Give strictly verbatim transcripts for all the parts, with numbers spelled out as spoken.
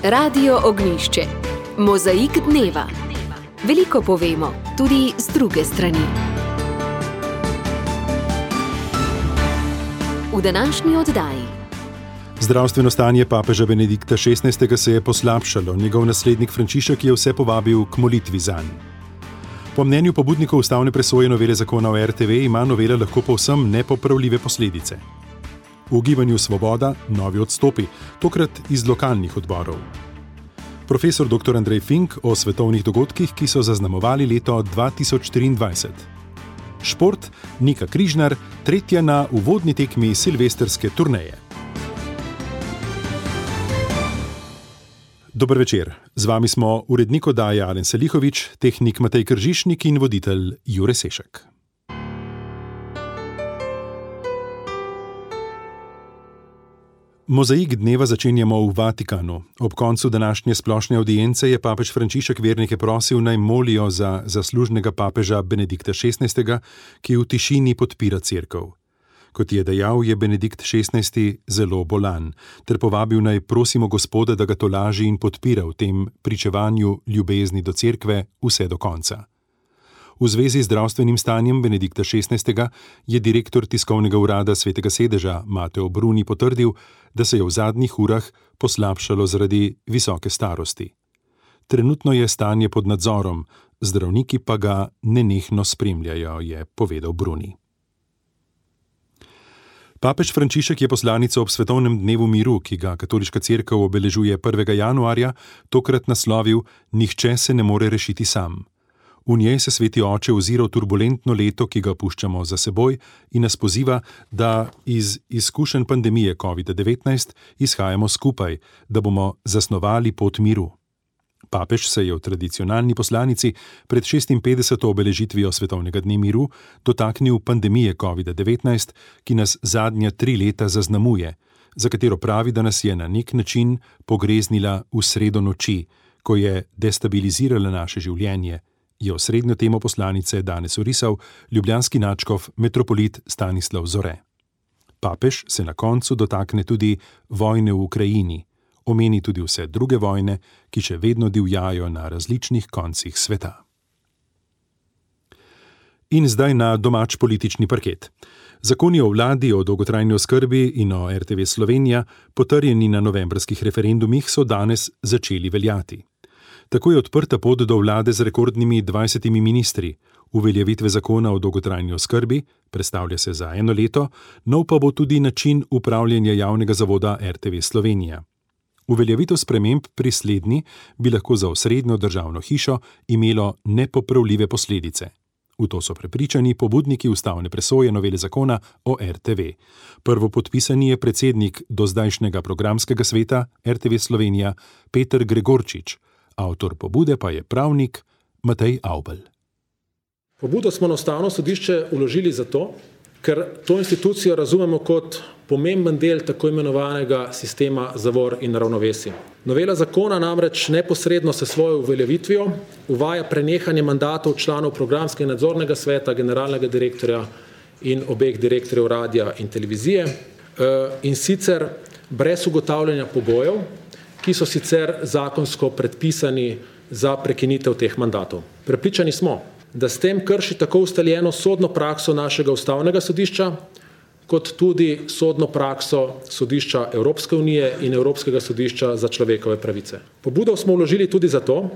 Radio Ognjišče. Mozaik dneva. Veliko povemo, tudi z druge strani. V današnji oddaji. Zdravstveno stanje papeža Benedikta šestnajstega se je poslabšalo, njegov naslednik Frančišek je vse povabil k molitvi zanj. Po mnenju pobudnikov ustavne presoje novele zakona o er te ve ima novela lahko povsem nepopravljive posledice. V gibanju Svoboda novi odstopi, tokrat iz lokalnih odborov. Profesor doktor Andrej Fink o svetovnih dogodkih, ki so zaznamovali leto dva tisoč triindvajset. Šport, Nika Križnar, tretja na uvodni tekmi silvestrske turneje. Dober večer, z vami smo urednik oddaje Alen Selihovič, tehnik Matej Kržišnik in voditelj Jure Sešek. Mozaik dneva začenjamo v Vatikanu. Ob koncu današnje splošne avdience je papež Frančišek vernike prosil, naj molijo za zaslužnega papeža Benedikta šestnajstega, ki v tišini podpira cerkev. Kot je dejal, je Benedikt šestnajsti zelo bolan, ter povabil naj prosimo Gospoda, da ga tolaži in podpira v tem pričevanju ljubezni do cerkve vse do konca. V zvezi z zdravstvenim stanjem Benedikta šestnajstega je direktor tiskovnega urada Svetega sedeža Mateo Bruni potrdil, da se je v zadnjih urah poslabšalo zaradi visoke starosti. Trenutno je stanje pod nadzorom, zdravniki pa ga nenehno spremljajo, je povedal Bruni. Papež Frančišek je poslanico ob svetovnem dnevu miru, ki ga katoliška cerkev obeležuje prvega januarja, tokrat naslovil Nihče se ne more rešiti sam. V njej se sveti oče ozira v turbulentno leto, ki ga puščamo za seboj, in nas poziva, da iz izkušenj pandemije covid devetnajst izhajamo skupaj, da bomo zasnovali pot miru. Papež se je v tradicionalni poslanici pred šestinpetdeseto obeležitvijo svetovnega dne miru dotaknil pandemije covid devetnajst, ki nas zadnja tri leta zaznamuje, za katero pravi, da nas je na nek način pogreznila v sredo noči, ko je destabilizirala naše življenje, je osrednjo temo poslanice danes orisal ljubljanski nadškof metropolit Stanislav Zore. Papež se na koncu dotakne tudi vojne v Ukrajini, omeni tudi vse druge vojne, ki še vedno divjajo na različnih koncih sveta. In zdaj na domač politični parket. Zakoni o vladi, o dolgotrajni oskrbi in o er te ve Slovenija, potrjeni na novembrskih referendumih, so danes začeli veljati. Tako je odprta pot do vlade z rekordnimi dvajsetimi ministri, uveljavitve zakona o dolgotrajni oskrbi, prestavlja se za eno leto, nov pa bo tudi način upravljanja javnega zavoda er te ve Slovenija. Uveljavitev sprememb pri slednji bi lahko za osrednjo državno hišo imelo nepopravljive posledice. V to so prepričani pobudniki ustavne presoje novele zakona o er te ve. Prvopodpisani je predsednik dozdajšnjega programskega sveta er te ve Slovenija Peter Gregorčič, avtor pobude pa je pravnik Matej Avbelj. Pobudo smo na ustavno sodišče vložili zato, ker to institucijo razumemo kot pomemben del tako imenovanega sistema zavor in ravnovesij. Novela zakona namreč neposredno se svojo uveljavitvijo uvaja prenehanje mandatov članov programskega in nadzornega sveta, generalnega direktorja in obeh direktorjev radia in televizije, in sicer brez ugotavljanja pogojev, ki so sicer zakonsko predpisani za prekinitev teh mandatov. Prepričani smo, da s tem krši tako ustaljeno sodno prakso našega ustavnega sodišča, kot tudi sodno prakso sodišča Evropske unije in Evropskega sodišča za človekove pravice. Pobudo smo vložili tudi zato,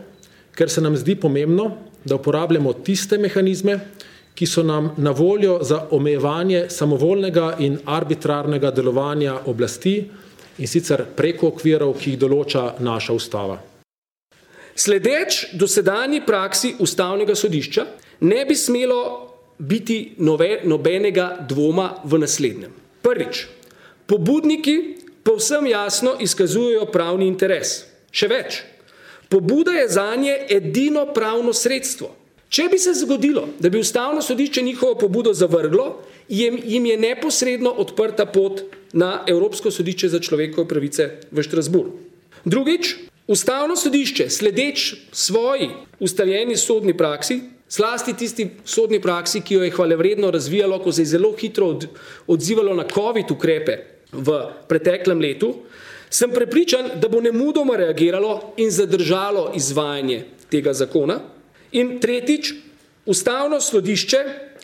ker se nam zdi pomembno, da uporabljamo tiste mehanizme, ki so nam na voljo za omejevanje samovoljnega in arbitrarnega delovanja oblasti, in sicer preko okvirov, ki jih določa naša ustava. Sledeč dosedanji praksi ustavnega sodišča ne bi smelo biti nove, nobenega dvoma v naslednjem. Prvič, pobudniki povsem jasno izkazujejo pravni interes. Še več, pobuda je zanje edino pravno sredstvo. Če bi se zgodilo, da bi ustavno sodišče njihovo pobudo zavrglo, jim je neposredno odprta pot na Evropsko sodišče za človekove pravice v Štrasburgu. Drugič, ustavno sodišče, sledeč svoji ustaljeni sodni praksi, zlasti tisti sodni praksi, ki jo je hvalevredno razvijalo, ko se je zelo hitro odzivalo na covid ukrepe v preteklem letu, Sem prepričan, da bo nemudoma reagiralo in zadržalo izvajanje tega zakona. In tretjič, Ustavno sodišče,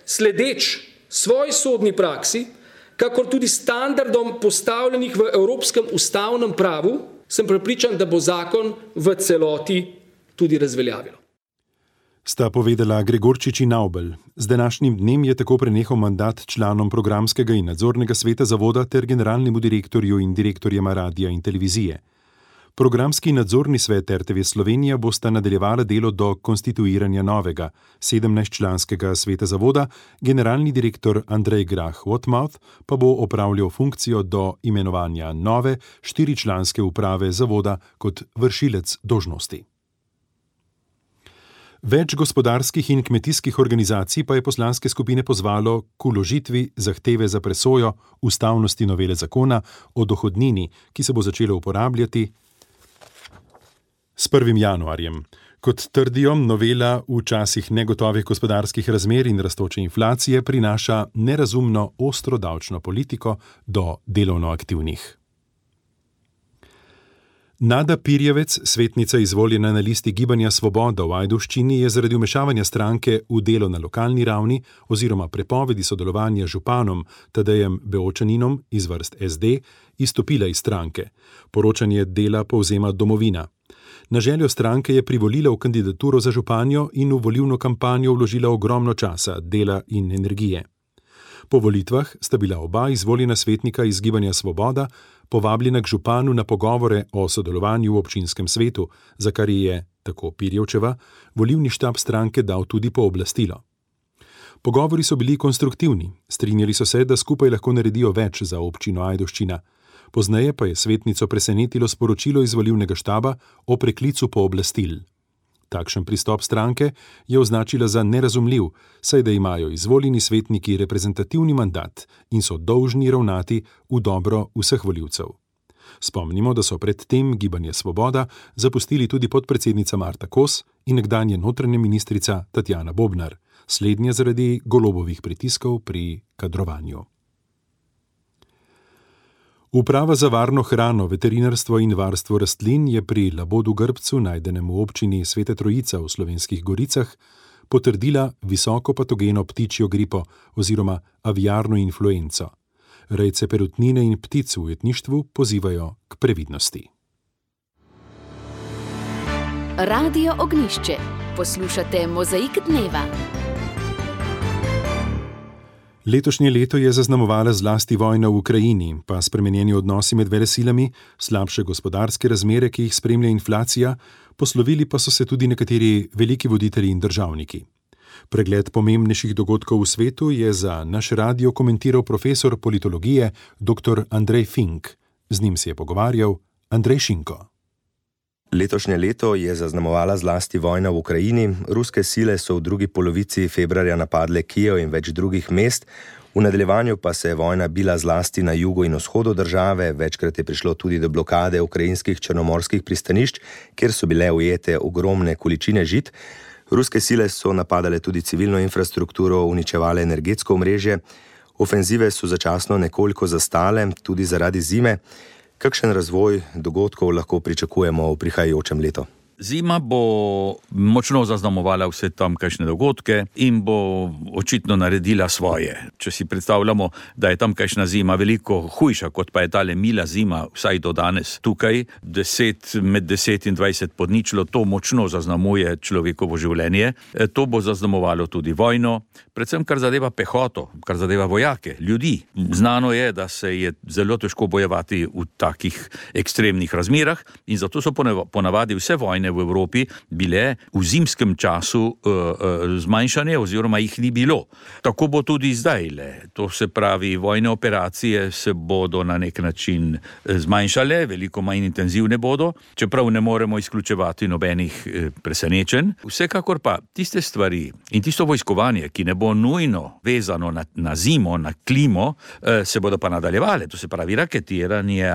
sledeč svoji sodni praksi, kakor tudi standardom postavljenih v evropskem ustavnem pravu, sem prepričan, da bo zakon v celoti tudi razveljavilo. Sta povedala Gregorčič in Avbelj. Z današnjim dnem je tako prenehal mandat članom programskega in nadzornega sveta zavoda ter generalnemu direktorju in direktorjema radija in televizije. Programski nadzorni svet R T V Slovenija bosta nadaljevala delo do konstituiranja novega, sedemnajstčlanskega sveta zavoda, generalni direktor Andrej Grah-Wotmouth pa bo opravljal funkcijo do imenovanja nove, štiričlanske uprave zavoda kot vršilec dolžnosti. Več gospodarskih in kmetijskih organizacij pa je poslanske skupine pozvalo k vložitvi zahteve za presojo ustavnosti novele zakona o dohodnini, ki se bo začela uporabljati s prvim januarjem. Kot trdijo, novela v časih negotovih gospodarskih razmer in rastoče inflacije prinaša nerazumno ostro davčno politiko do delovno aktivnih. Nada Pirjevec, svetnica izvoljena na listi Gibanja Svoboda v Ajdovščini, je zaradi vmešavanja stranke v delo na lokalni ravni oziroma prepovedi sodelovanja z županom Tadejem Beočaninom iz vrst S D izstopila iz stranke. Poročanje Dela povzema Domovina. Na željo stranke je privolila v kandidaturo za županjo in v volilno kampanjo vložila ogromno časa, dela in energije. Po volitvah sta bila oba izvoljena svetnika iz Gibanja Svoboda povabljena k županu na pogovore o sodelovanju v občinskem svetu, za kar je, tako Pirjevčeva, volilni štab stranke dal tudi pooblastilo. Pogovori so bili konstruktivni, strinjali so se, da skupaj lahko naredijo več za občino Ajdovščina. Pozneje pa je svetnico presenetilo sporočilo iz volilnega štaba o preklicu pooblastil. Takšen pristop stranke je označila za nerazumljiv, saj da imajo izvoljeni svetniki reprezentativni mandat in so dolžni ravnati v dobro vseh volivcev. Spomnimo, da so pred tem Gibanje Svoboda zapustili tudi podpredsednica Marta Kos in nekdanja notranja ministrica Tatjana Bobnar, slednja zaradi Golobovih pritiskov pri kadrovanju. Uprava za varno hrano, veterinarstvo in varstvo rastlin je pri labodu grbcu, najdenem v občini Sveta Trojica v Slovenskih Goricah, potrdila visoko patogeno ptičjo gripo oziroma aviarno influenco. Rejce perutnine in ptic v ujetništvu pozivajo k previdnosti. Radio Ognjišče. Poslušate Mozaik dneva. Letošnje leto je zaznamovala zlasti vojna v Ukrajini, pa spremenjeni odnosi med velesilami, slabše gospodarske razmere, ki jih spremlja inflacija, poslovili pa so se tudi nekateri veliki voditelji in državniki. Pregled pomembnejših dogodkov v svetu je za naš radio komentiral profesor politologije dr. Andrej Fink. Z njim se je pogovarjal Andrej Šinko. Letošnje leto je zaznamovala zlasti vojna v Ukrajini. Ruske sile so v drugi polovici februarja napadle Kijev in več drugih mest. V nadaljevanju pa se je vojna bila zlasti na jugu in vzhodu države. Večkrat je prišlo tudi do blokade ukrajinskih črnomorskih pristanišč, kjer so bile ujete ogromne količine žit. Ruske sile so napadale tudi civilno infrastrukturo, uničevale energetsko omrežje. Ofenzive so začasno nekoliko zastale, tudi zaradi zime. Kakšen razvoj dogodkov lahko pričakujemo v prihajajočem letu? Zima bo močno zaznamovala vse tamkajšnje dogodke in bo očitno naredila svoje. Če si predstavljamo, da je tamkajšnja zima veliko hujša, kot pa je tale mila zima, vsaj do danes tukaj, deset, med deset in dvajset pod ničlo, to močno zaznamuje človekovo življenje. To bo zaznamovalo tudi vojno, predvsem kar zadeva pehoto, kar zadeva vojake, ljudi. Znano je, da se je zelo težko bojevati v takih ekstremnih razmerah in zato so ponavadi vse vojne v Evropi bile v zimskem času uh, uh, zmanjšane oziroma jih ni bilo. Tako bo tudi zdaj. Le. To se pravi, vojne operacije se bodo na nek način zmanjšale, veliko manj intenzivne bodo, čeprav ne moremo izključevati nobenih uh, presenečenj. Vsekakor pa tiste stvari in tisto vojskovanje, ki ne bo nujno vezano na, na zimo, na klimo, uh, se bodo pa nadaljevale. To se pravi raketiranje,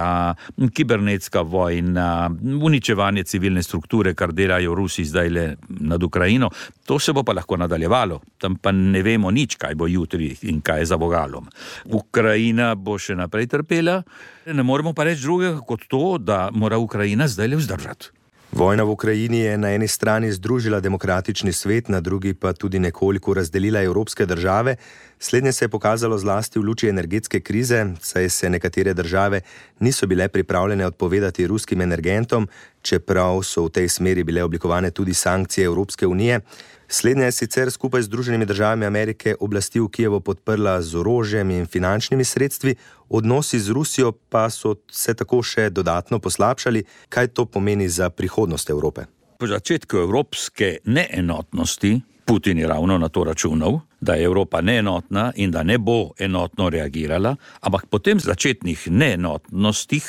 kibernetska vojna, uničevanje civilne strukture avanture, kar delajo Rusi zdaj le nad Ukrajino. To se bo pa lahko nadaljevalo. Tam pa ne vemo nič, kaj bo jutri in kaj je za vogalom. Ukrajina bo še naprej trpela. Ne moremo pa reči drugega kot to, da mora Ukrajina zdaj le vzdržati. Vojna v Ukrajini je na eni strani združila demokratični svet, na drugi pa tudi nekoliko razdelila evropske države. Slednje se je pokazalo zlasti v luči energetske krize, saj se nekatere države niso bile pripravljene odpovedati ruskim energentom, čeprav so v tej smeri bile oblikovane tudi sankcije Evropske unije. Slednja je sicer skupaj z Združenimi državami Amerike oblasti v Kijevu podprla z orožjem in finančnimi sredstvi, odnosi z Rusijo pa so se tako še dodatno poslabšali. Kaj to pomeni za prihodnost Evrope? Po začetku evropske neenotnosti Putin je ravno na to računal, da je Evropa neenotna in da ne bo enotno reagirala, ampak po tem začetnih neenotnostih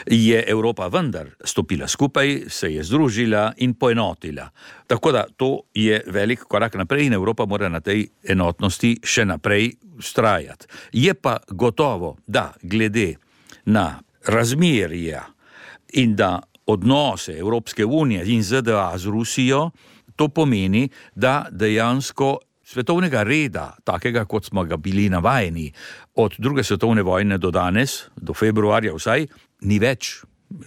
je Evropa vendar stopila skupaj, se je združila in poenotila. Tako da to je velik korak naprej in Evropa mora na tej enotnosti še naprej vztrajati. Je pa gotovo, da glede na razmerja in da odnose Evropske unije in Z D A z Rusijo, to pomeni, da dejansko svetovnega reda, takega kot smo ga bili navajeni od druge svetovne vojne do danes, do februarja vsaj, ni več.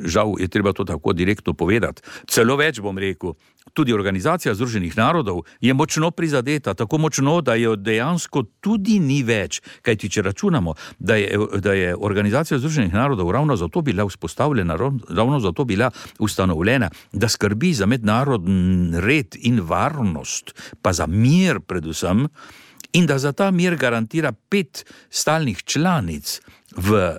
Žal je treba to tako direktno povedati. Celo več bom rekel, tudi Organizacija združenih narodov je močno prizadeta, tako močno, da jo dejansko tudi ni več. Kajti če računamo, da je, da je Organizacija združenih narodov ravno zato bila vzpostavljena, ravno zato bila ustanovljena, da skrbi za mednarodni red in varnost, pa za mir predvsem, in da za ta mir garantira pet stalnih članic v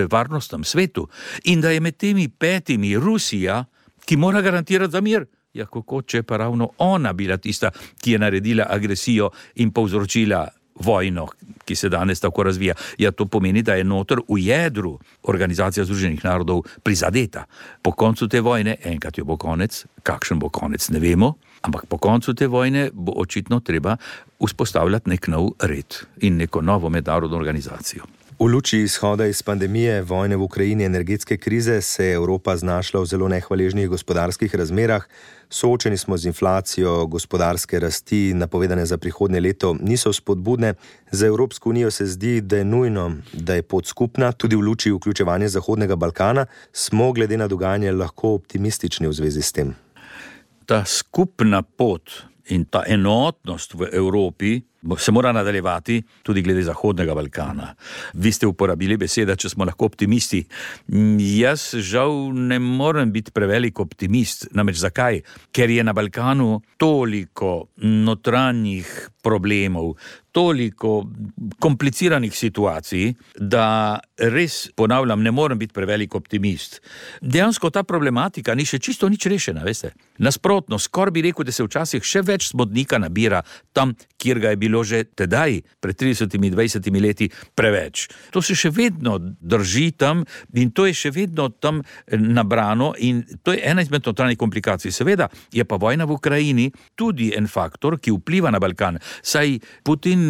varnostnem svetu in da je med temi petimi Rusija, ki mora garantirati za mir. Ja, kako če pa ravno ona bila tista, ki je naredila agresijo in povzročila vojno, ki se danes tako razvija. Ja, to pomeni, da je noter v jedru Organizacija združenih narodov prizadeta. Po koncu te vojne, enkrat jo bo konec, kakšen bo konec, ne vemo, ampak po koncu te vojne bo očitno treba vzpostavljati nek nov red in neko novo mednarodno organizacijo. V luči izhoda iz pandemije, vojne v Ukrajini, energetske krize se je Evropa znašla v zelo nehvaležnih gospodarskih razmerah. Soočeni smo z inflacijo, gospodarske rasti, napovedane za prihodnje leto, niso spodbudne. Za Evropsko unijo se zdi, da je nujno, da je pot skupna, tudi v luči vključevanja Zahodnega Balkana. Smo glede na dogajanje lahko optimistični v zvezi s tem? Ta skupna pot in ta enotnost v Evropi se mora nadaljevati tudi glede Zahodnega Balkana. Vi ste uporabili beseda, če smo lahko optimisti. Jaz žal ne morem biti prevelik optimist. Namreč zakaj? Ker je na Balkanu toliko notranjih problemov, toliko kompliciranih situacij, da res, ponavljam, ne morem biti prevelik optimist. Dejansko ta problematika ni še čisto nič rešena, veste. Nasprotno, skoraj bi rekel, da se včasih še več smodnika nabira tam, kjer ga je bilo že tedaj, pred tridesetimi, dvajsetimi leti, preveč. To se še vedno drži tam in to je še vedno tam nabrano in to je ena izmed notranjih komplikacij. Seveda je pa vojna v Ukrajini tudi en faktor, ki vpliva na Balkan. Saj Putin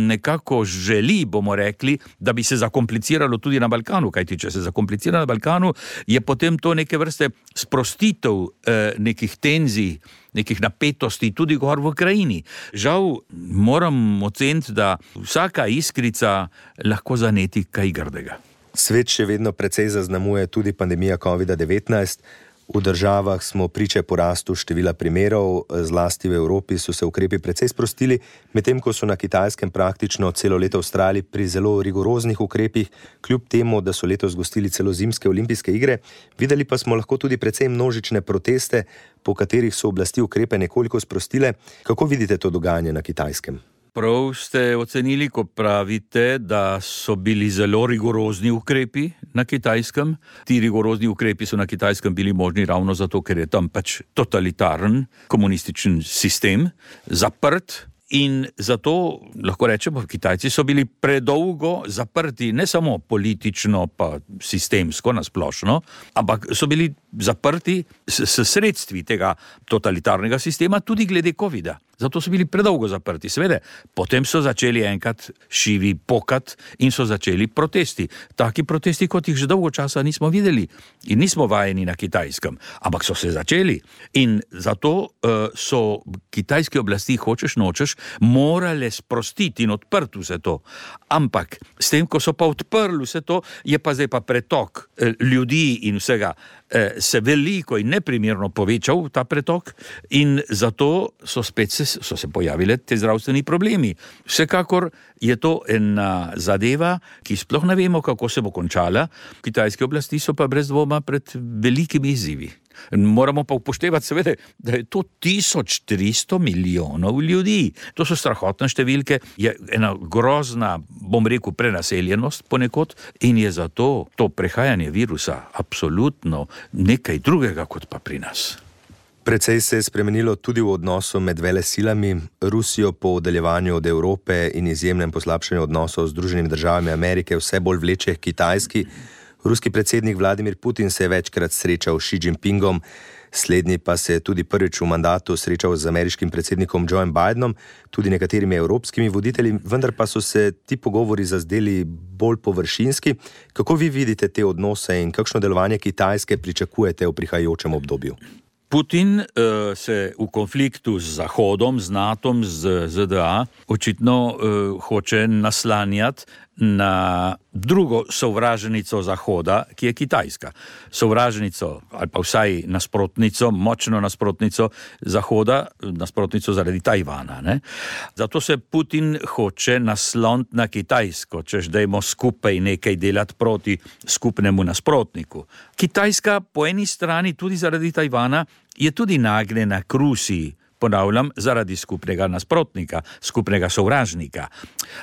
nekako želi, bomo rekli, da bi se zakompliciralo tudi na Balkanu, kajti če se zakomplicira na Balkanu, je potem to neke vrste sprostitev eh, nekih tenzij, nekih napetosti tudi gor v Ukrajini. Žal moram oceniti, da vsaka iskrica lahko zaneti kaj grdega. Svet še vedno precej zaznamuje tudi pandemija kovida devetnajst. V državah smo priče porastu števila primerov, zlasti v Evropi so se ukrepi precej sprostili, medtem ko so na Kitajskem praktično celo leto vztrajali pri zelo rigoroznih ukrepih, kljub temu, da so letos gostili celo zimske olimpijske igre. Videli pa smo lahko tudi precej množične proteste, po katerih so oblasti ukrepe nekoliko sprostile. Kako vidite to dogajanje na Kitajskem? Prav ste ocenili, ko pravite, da so bili zelo rigorozni ukrepi na Kitajskem. Ti rigorozni ukrepi so na Kitajskem bili možni ravno zato, ker je tam pač totalitaren komunističen sistem, zaprt. In zato lahko rečemo, Kitajci so bili predolgo zaprti, ne samo politično pa sistemsko nasplošno, ampak so bili zaprti s, s sredstvi tega totalitarnega sistema, tudi glede covida. Zato so bili predolgo zaprti. Seveda, potem so začeli enkrat šivi pokat in so začeli protesti. Taki protesti, kot jih že dolgo časa nismo videli in nismo vajeni na Kitajskem. Ampak so se začeli. In zato uh, so kitajske oblasti, hočeš nočeš, morale sprostiti in odprti vse to. Ampak s tem, ko so pa odprli vse to, je pa zdaj pa pretok uh, ljudi in vsega uh, se veliko in neprimerno povečal ta pretok in zato so spet se so se pojavile te zdravstveni problemi. Vsekakor je to ena zadeva, ki sploh ne vemo, kako se bo končala. Kitajske oblasti so pa brez dvoma pred velikimi izzivi. Moramo pa upoštevati seveda, da je to tisoč tristo milijonov ljudi. To so strahotne številke, je ena grozna, bom rekel, prenaseljenost ponekod in je zato to prehajanje virusa absolutno nekaj drugega kot pa pri nas. Precej se je spremenilo tudi v odnosu med velesilami. Rusijo po oddaljevanju od Evrope in izjemnem poslabšanju odnosov z Združenimi državami Amerike vse bolj vleče k Kitajski. Ruski predsednik Vladimir Putin se je večkrat srečal s Xi Jinpingom, slednji pa se je tudi prvič v mandatu srečal z ameriškim predsednikom Joeom Bidenom, tudi nekaterimi evropskimi voditelji, vendar pa so se ti pogovori zazdeli bolj površinski. Kako vi vidite te odnose in kakšno delovanje Kitajske pričakujete v prihajajočem obdobju? Putin uh, se v konfliktu z Zahodom, z NATO, z Z D A očitno uh, hoče naslanjati na drugo sovražnico Zahoda, ki je Kitajska. Sovražnico ali pa vsaj nasprotnico, močno nasprotnico Zahoda, nasprotnico zaradi Tajvana. Ne? Zato se Putin hoče nasloniti na Kitajsko, češ dajmo skupaj nekaj delati proti skupnemu nasprotniku. Kitajska po eni strani tudi zaradi Tajvana je tudi nagnjena k Rusiji, ponavljam, zaradi skupnega nasprotnika, skupnega sovražnika.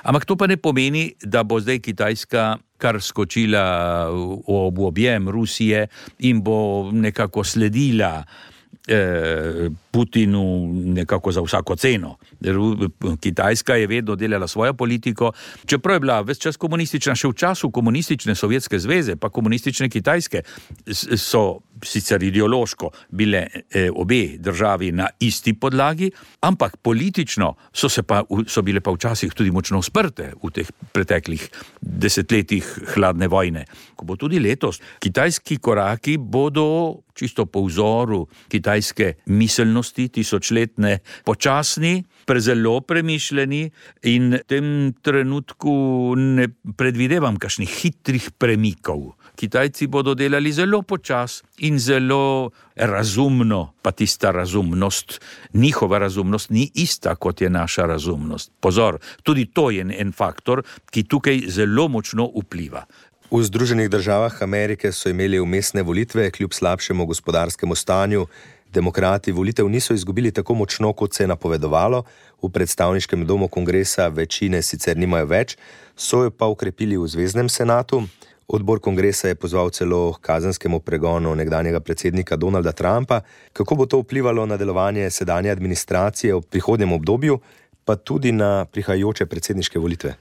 Ampak to pa ne pomeni, da bo zdaj Kitajska kar skočila v objem Rusije in bo nekako sledila eh, Putinu nekako za vsako ceno. Kitajska je vedno delala svojo politiko, čeprav je bila ves čas komunistična, še v času komunistične Sovjetske zveze, pa komunistične Kitajske so sicer ideološko bile eh, obe državi na isti podlagi, ampak politično so, se pa, so bile pa včasih tudi močno sprte v teh preteklih desetletjih hladne vojne. Ko bo tudi letos, kitajski koraki bodo čisto po vzoru kitajske miselnosti tisočletne počasni, prezelo premišljeni in v tem trenutku ne predvidevam kakšnih hitrih premikov. Kitajci bodo delali zelo počas in zelo razumno, pa tista razumnost, njihova razumnost ni ista, kot je naša razumnost. Pozor, tudi to je en faktor, ki tukaj zelo močno vpliva. V Združenih državah Amerike so imeli vmesne volitve, kljub slabšemu gospodarskemu stanju. Demokrati volitev niso izgubili tako močno, kot se je napovedovalo. V predstavniškem domu kongresa večine sicer nimajo več, so jo pa ukrepili v Zvezdnem senatu. Odbor kongresa je pozval celo k kazenskemu pregonu nekdanjega predsednika Donalda Trumpa. Kako bo to vplivalo na delovanje sedanje administracije v prihodnjem obdobju, pa tudi na prihajajoče predsedniške volitve?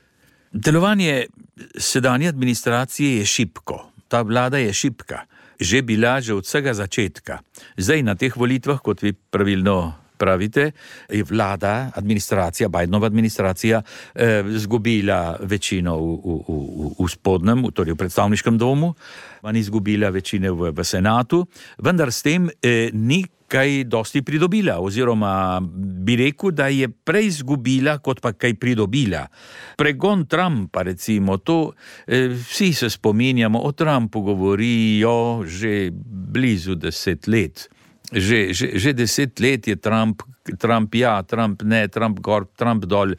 Delovanje sedanje administracije je šibko. Ta vlada je šibka. Že bila že od vsega začetka. Zdaj na teh volitvah, kot vi pravilno pravite, je vlada, administracija, Bidenova administracija, eh, zgubila večino v, v, v, v spodnjem, torej v predstavniškem domu, ni izgubila večine v, v senatu, vendar s tem eh, ni kaj dosti pridobila, oziroma bi rekel, da je prej izgubila, kot pa kaj pridobila. Pregon Trumpa, recimo, to eh, vsi se spominjamo, o Trumpu govorijo že blizu deset let. Že, že, že deset let je Trump, Trump ja, Trump ne, Trump gor, Trump dol.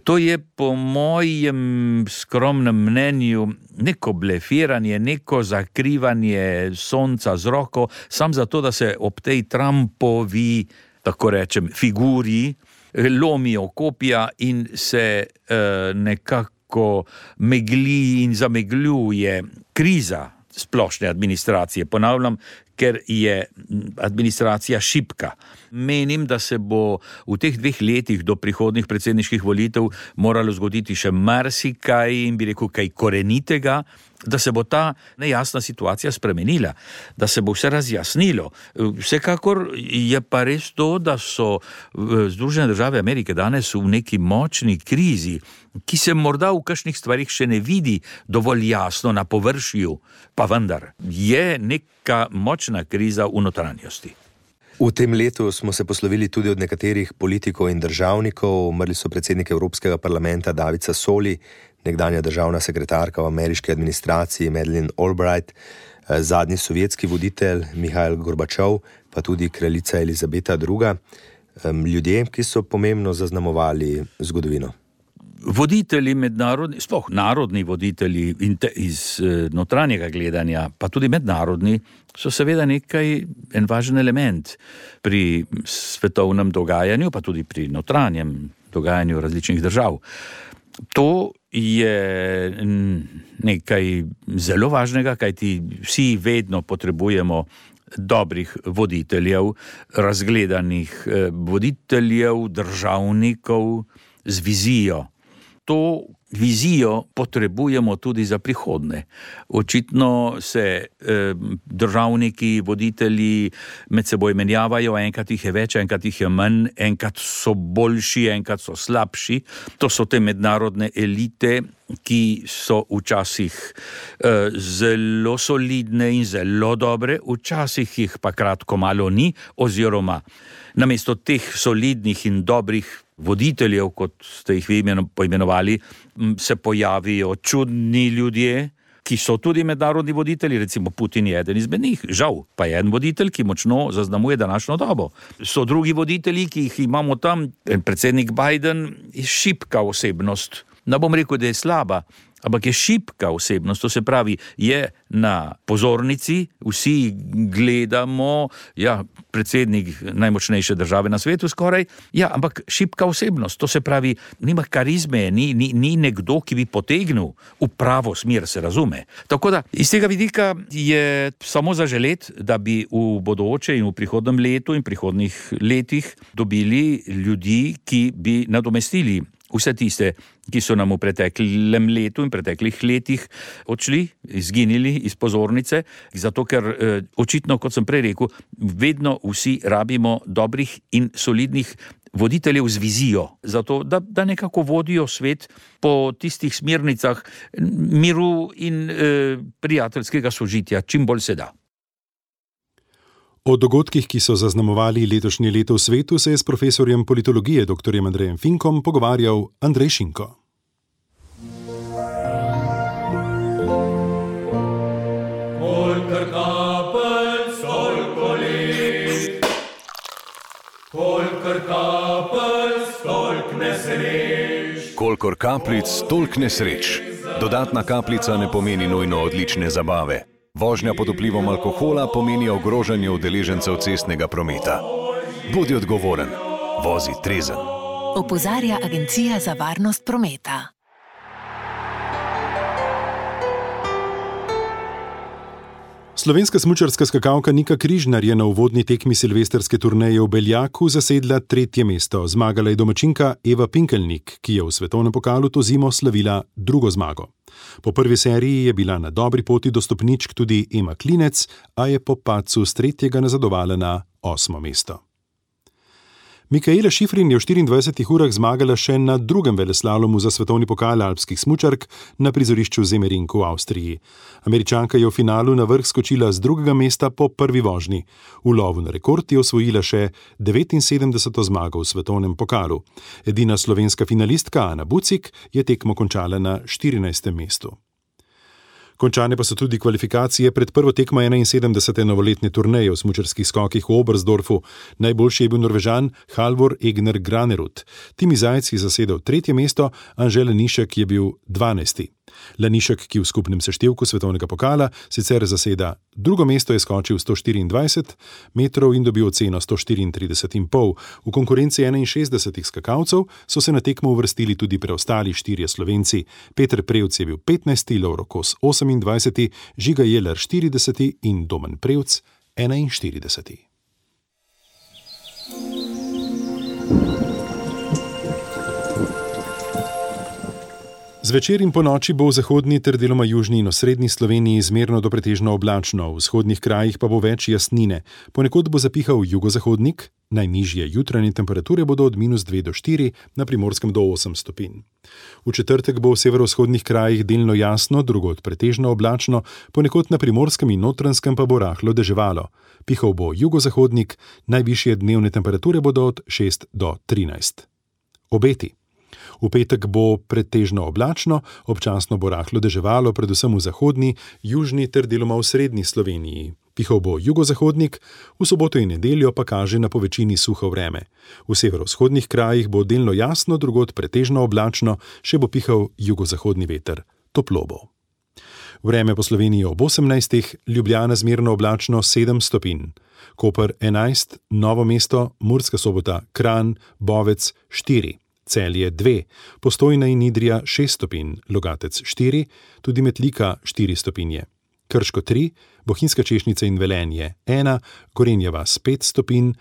To je po mojem skromnem mnenju neko blefiranje, neko zakrivanje sonca z roko, sam zato, da se ob tej Trumpovi, tako rečem, figuri lomijo kopja in se uh, nekako megli in zamegljuje kriza splošne administracije. Ponavljam, ker je administracija šibka. Menim, da se bo v teh dveh letih do prihodnjih predsedniških volitev moralo zgoditi še marsikaj in bi rekel kaj korenitega da se bo ta nejasna situacija spremenila, da se bo vse razjasnilo. Vsekakor je pa res to, da so Združene države Amerike danes v neki močni krizi, ki se morda v kakšnih stvarih še ne vidi dovolj jasno na površju, pa vendar je neka močna kriza v notranjosti. V tem letu smo se poslovili tudi od nekaterih politikov in državnikov. Umrli so predsednik Evropskega parlamenta David Sassoli, nekdanja državna sekretarka v ameriški administraciji Madeleine Albright, zadnji sovjetski voditelj Mihail Gorbačov, pa tudi kraljica Elizabeta druga. Ljudje, ki so pomembno zaznamovali zgodovino. Voditelji mednarodni, sploh narodni voditelji iz notranjega gledanja, pa tudi mednarodni, so seveda nekaj, en važen element pri svetovnem dogajanju, pa tudi pri notranjem dogajanju različnih držav. To je nekaj zelo važnega, kajti vsi vedno potrebujemo dobrih voditeljev, razgledanih voditeljev, državnikov z vizijo. To vizijo potrebujemo tudi za prihodnje. Očitno se eh, državniki, voditelji med seboj menjavajo, enkrat jih je več, enkrat jih je manj, enkrat so boljši, enkrat so slabši. To so te mednarodne elite, ki so včasih eh, zelo solidne in zelo dobre, včasih jih pa kratko malo ni, oziroma namesto teh solidnih in dobrih voditeljev, kot ste jih vi poimenovali, se pojavijo čudni ljudje, ki so tudi mednarodni voditelji, recimo Putin je eden izmed njih, žal, pa je en voditelj, ki močno zaznamuje današnjo dobo. So drugi voditelji, ki jih imamo tam, predsednik Biden je šibka osebnost, ne bom rekel, da je slaba, ampak je šibka osebnost, to se pravi, je na pozornici, vsi gledamo, ja, predsednik najmočnejše države na svetu skoraj, ja, ampak šibka osebnost, to se pravi, nima karizme, ni, ni, ni nekdo, ki bi potegnil v pravo smer, se razume. Tako da, iz tega vidika je samo zaželet, da bi v bodoče in v prihodnem letu in prihodnih letih dobili ljudi, ki bi nadomestili vse tiste, ki so nam v preteklem letu in preteklih letih odšli, izginili iz pozornice, zato ker eh, očitno, kot sem prej rekel, vedno vsi rabimo dobrih in solidnih voditeljev z vizijo, zato da, da nekako vodijo svet po tistih smernicah miru in eh, prijateljskega sožitja, čim bolj se da. O dogodkih, ki so zaznamovali letošnje leto v svetu, se je s profesorjem politologije dr. Andrejem Finkom pogovarjal Andrej Šinko. Kolikor kapljic, toliko let. Kolikor kapljic, toliko nesreč. Kolikor kapljic, toliko nesreč. Dodatna kapljica ne pomeni nujno odlične zabave. Vožnja pod vplivom alkohola pomeni ogrožanje udeležencev cestnega prometa. Bodi odgovoren, vozi trezen. Opozarja Agencija za varnost prometa. Slovenska smučarska skakalka Nika Križnar je na uvodni tekmi silvestrske turneje v Beljaku zasedla tretje mesto. Zmagala je domačinka Eva Pinkelnik, ki je v svetovnem pokalu to zimo slavila drugo zmago. Po prvi seriji je bila na dobri poti do stopničk tudi Ema Klinec, a je po padcu s tretjega nazadovala na osmo mesto. Mikaela Šifrin je v štiriindvajsetih urah zmagala še na drugem veleslalomu za svetovni pokal alpskih smučark na prizorišču Zemerinku v Avstriji. Američanka je v finalu na vrh skočila z drugega mesta po prvi vožnji. V lovu na rekord je osvojila še devetinsedemdeseto zmago v svetovnem pokalu. Edina slovenska finalistka Ana Bucik je tekmo končala na štirinajstem mestu. Končane pa so tudi kvalifikacije pred prvo tekmo enainsedemdesete novoletne turneje v smučarskih skokih v Oberstdorfu. Najboljši je bil Norvežan Halvor Egner Granerud. Timi Zajec je zasedel tretje mesto, Anže Lanišek je bil dvanajsti. Lanišek, ki v skupnem seštevku svetovnega pokala sicer zaseda drugo mesto, je skočil sto štiriindvajset metrov in dobil oceno sto štiriintrideset in pol. V konkurenci enainšestdesetih skakalcev so se na tekmo uvrstili tudi preostali štirje Slovenci. Peter Prevc je bil petnajsti, Lovro Kos osemindvajseti, Žiga Jeler štirideseti in Domen Prevc enainštirideseti. Zvečer in po noči bo v zahodni ter deloma južni in osrednji Sloveniji zmerno do pretežno oblačno, v vzhodnih krajih pa bo več jasnine. Ponekod bo zapihal jugozahodnik, najnižje jutranje temperature bodo od minus dve do štiri, na Primorskem do osem stopinj. V četrtek bo v severovzhodnih krajih delno jasno, drugod pretežno oblačno, ponekod na Primorskem in Notranjskem pa bo rahlo deževalo. Pihal bo jugozahodnik, najvišje dnevne temperature bodo od šest do trinajst. Obeti. V petek bo pretežno oblačno, občasno bo rahlo deževalo, predvsem v zahodni, južni ter deloma v srednji Sloveniji. Pihal bo jugozahodnik, v soboto in nedeljo pa kaže na povečini suho vreme. V severovzhodnih krajih bo delno jasno, drugod pretežno oblačno, še bo pihal jugozahodni veter. Toplo bo. Vreme po Sloveniji ob osemnajstih, Ljubljana zmerno oblačno sedem stopinj. Koper enajst, Novo mesto, Murska Sobota, Kranj, Bovec štiri. Celje dve, Postojna in Idrija šest stopinj, Logatec štiri, tudi Metlika štiri stopinje. Krško tri, Bohinjska Češnica in Velenje ena, Gorenja vas pet stopinj,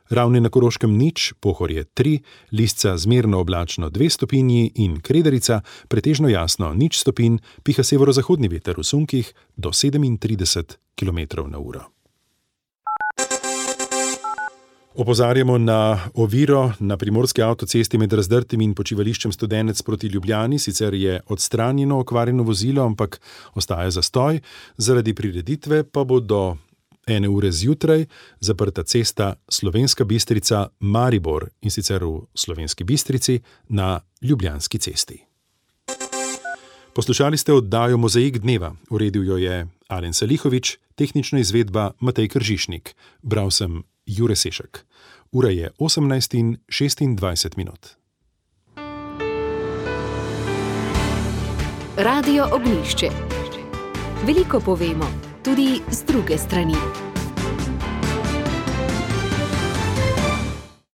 Ravne na Koroškem nič, Pohorje tri, Lisca zmerno oblačno dve stopinji in Kredarica pretežno jasno nič stopinj, piha severozahodni veter v sunkih do sedemintrideset kilometrov na uro. Opozarjamo na oviro na primorski avtocesti med Razdrtim in počivališčem Studenec proti Ljubljani, sicer je odstranjeno okvarjeno vozilo, ampak ostaja zastoj, zaradi prireditve pa bo do ene ure zjutraj zaprta cesta Slovenska Bistrica-Maribor in sicer v Slovenski Bistrici na Ljubljanski cesti. Poslušali ste oddajo Mozaik dneva, uredil jo je Alen Salihovič, tehnična izvedba Matej Kržišnik, bral sem Jure Sešek. Ura je osemnajst in šestindvajset minut. Radio Ognjišče. Veliko povemo, tudi z druge strani.